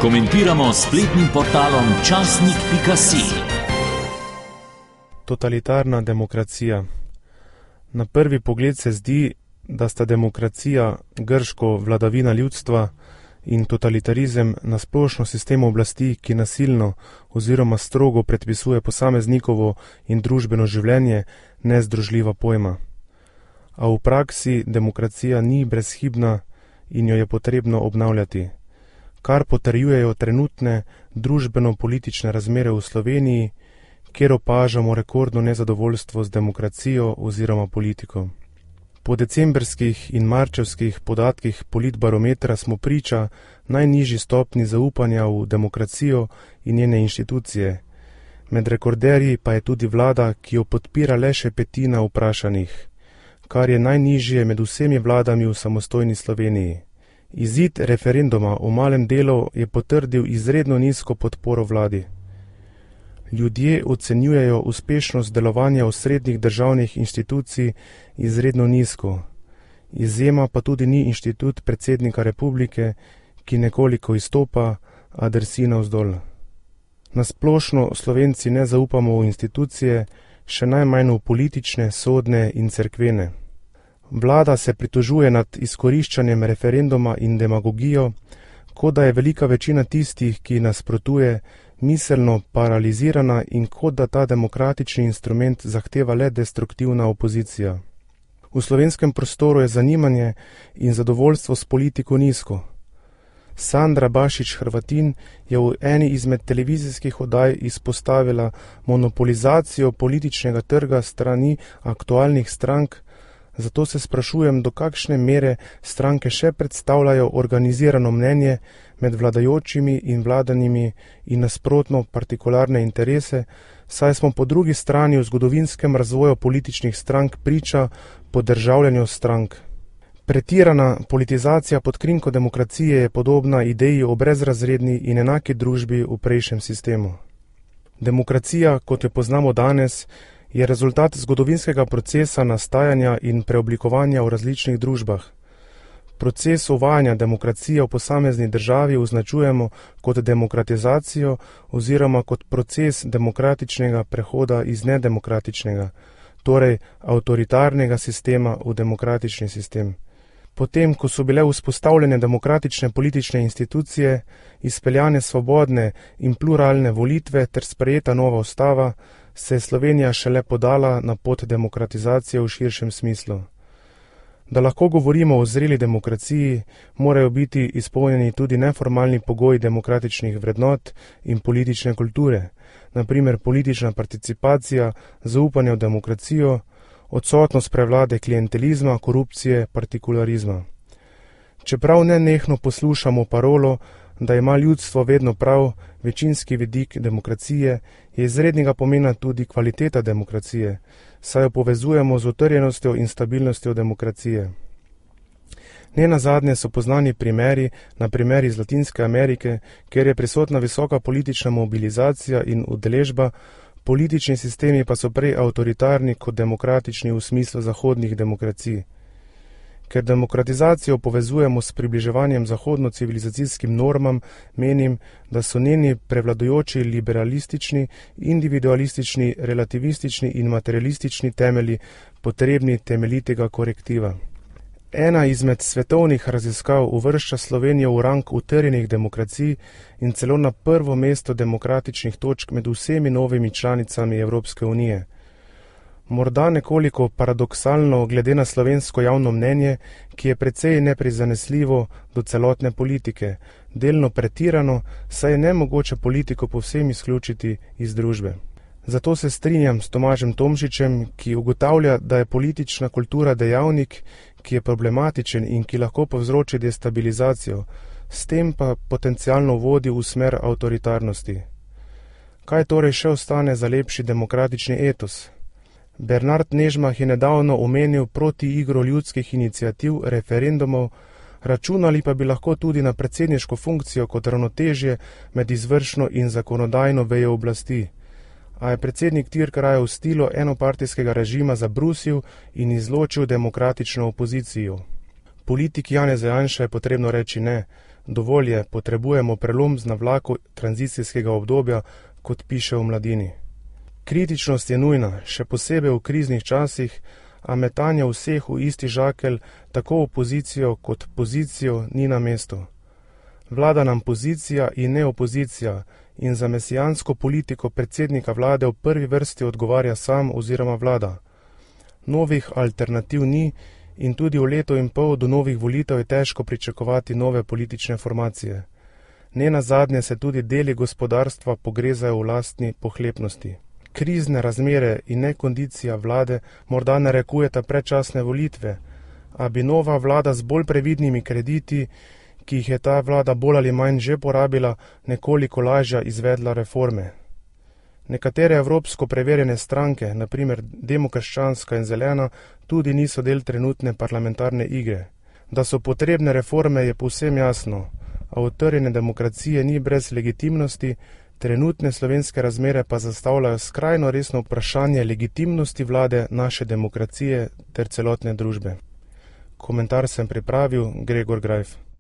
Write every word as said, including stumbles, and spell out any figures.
Komentiramo s spletnim portalom časnik pika si. Totalitarna demokracija. Na prvi pogled se zdi, da sta demokracija, grško vladavina ljudstva, in totalitarizem na splošno sistem oblasti, ki nasilno oziroma strogo predpisuje posameznikovo in družbeno življenje, nezdružljiva pojma. A v praksi demokracija ni brezhibna in jo je potrebno obnavljati, kar potrjujejo trenutne družbeno-politične razmere v Sloveniji, kjer opažamo rekordno nezadovoljstvo z demokracijo oziroma politiko. Po decembrskih in marčevskih podatkih Politbarometra smo priča najnižji stopni zaupanja v demokracijo in njene inštitucije. Med rekorderji pa je tudi vlada, ki jo podpira le še petina vprašanih, kar je najnižje med vsemi vladami v samostojni Sloveniji. Izid referenduma o malem delu je potrdil izredno nizko podporo vladi. Ljudje ocenjujejo uspešnost delovanja osrednjih državnih inštitucij izredno nizko. Izjema pa tudi ni inštitut predsednika republike, ki nekoliko izstopa, a drsi navzdol. Na splošno Slovenci ne zaupamo v institucije, še najmanj v politične, sodne in cerkvene. Vlada se pritožuje nad izkoriščanjem referenduma in demagogijo, kot da je velika večina tistih, ki nasprotuje, miselno paralizirana in kot da ta demokratični instrument zahteva le destruktivna opozicija. V slovenskem prostoru je zanimanje in zadovoljstvo s politiko nizko. Sandra Bašić Hrvatin je v eni izmed televizijskih oddaj izpostavila monopolizacijo političnega trga strani aktualnih strank, zato se sprašujem, do kakšne mere stranke še predstavljajo organizirano mnenje med vladajočimi in vladanimi in nasprotno partikularne interese, saj smo po drugi strani v zgodovinskem razvoju političnih strank priča podržavljanju strank. Pretirana politizacija pod krinko demokracije je podobna ideji o brezrazredni in enaki družbi v prejšnjem sistemu. Demokracija, kot jo poznamo danes, je rezultat zgodovinskega procesa nastajanja in preoblikovanja v različnih družbah. Proces uvajanja demokracije v posamezni državi označujemo kot demokratizacijo oziroma kot proces demokratičnega prehoda iz nedemokratičnega, torej avtoritarnega sistema v demokratični sistem. Potem, ko so bile vzpostavljene demokratične politične institucije, izpeljane svobodne in pluralne volitve ter sprejeta nova ustava, se je Slovenija šele podala na pot demokratizacije v širšem smislu. Da lahko govorimo o zreli demokraciji, morajo biti izpolnjeni tudi neformalni pogoji demokratičnih vrednot in politične kulture, na primer politična participacija, zaupanje v demokracijo, odsotnost prevlade klientelizma, korupcije, partikularizma. Čeprav nenehno poslušamo parolo, da ima ljudstvo vedno prav, večinski vidik demokracije, je izrednega pomena tudi kvaliteta demokracije, saj jo povezujemo z utrjenostjo in stabilnostjo demokracije. Nenazadnje so poznani primeri, na primer iz Latinske Amerike, kjer je prisotna visoka politična mobilizacija in udeležba, politični sistemi pa so prej avtoritarni kot demokratični v smislu zahodnih demokracij. Ker demokratizacijo povezujemo s približevanjem zahodno-civilizacijskim normam, menim, da so njeni prevladujoči liberalistični, individualistični, relativistični in materialistični temelji potrebni temeljitega korektiva. Ena izmed svetovnih raziskav uvršča Slovenijo v rang utrjenih demokracij in celo na prvo mesto demokratičnih točk med vsemi novimi članicami Evropske unije. Morda nekoliko paradoksalno glede na slovensko javno mnenje, ki je precej neprizanesljivo do celotne politike, delno pretirano, saj je nemogoče politiko povsem izključiti iz družbe. Zato se strinjam s Tomažem Tomšičem, ki ugotavlja, da je politična kultura dejavnik, ki je problematičen in ki lahko povzroči destabilizacijo, s tem pa potencialno vodi v smer avtoritarnosti. Kaj torej še ostane za lepši demokratični etos? Bernard Nežmah je nedavno omenil proti igro ljudskih iniciativ, referendumov, računali pa bi lahko tudi na predsedniško funkcijo kot ravnotežje med izvršno in zakonodajno vejo oblasti. A je predsednik Tirk raje v stilu enopartijskega režima zabrusil in izločil demokratično opozicijo. Politiki Janeza Janše je potrebno reči ne, Dovolj je, potrebujemo prelom z navlako tranzicijskega obdobja, kot piše v Mladini. Kritičnost je nujna, še posebej v kriznih časih, a metanje vseh v isti žakelj, tako opozicijo kot pozicijo, ni na mestu. Vlada nam pozicija in ne opozicija in za mesijansko politiko predsednika vlade v prvi vrsti odgovarja sam oziroma vlada. Novih alternativ ni in tudi v leto in pol do novih volitev je težko pričakovati nove politične formacije. Ne nazadnje se tudi deli gospodarstva pogrezajo v lastni pohlepnosti. Krizne razmere in nekondicija vlade morda narekujeta predčasne volitve, a bi nova vlada z bolj previdnimi krediti, ki jih je ta vlada bolj ali manj že porabila, nekoliko lažja izvedla reforme. Nekatere evropsko preverjene stranke, na primer Demokrščanska in Zelena, tudi niso del trenutne parlamentarne igre. Da so potrebne reforme, je povsem jasno, a utrjene demokracije ni brez legitimnosti, trenutne slovenske razmere pa zastavljajo skrajno resno vprašanje legitimnosti vlade naše demokracije ter celotne družbe. Komentar sem pripravil Gregor Grajf.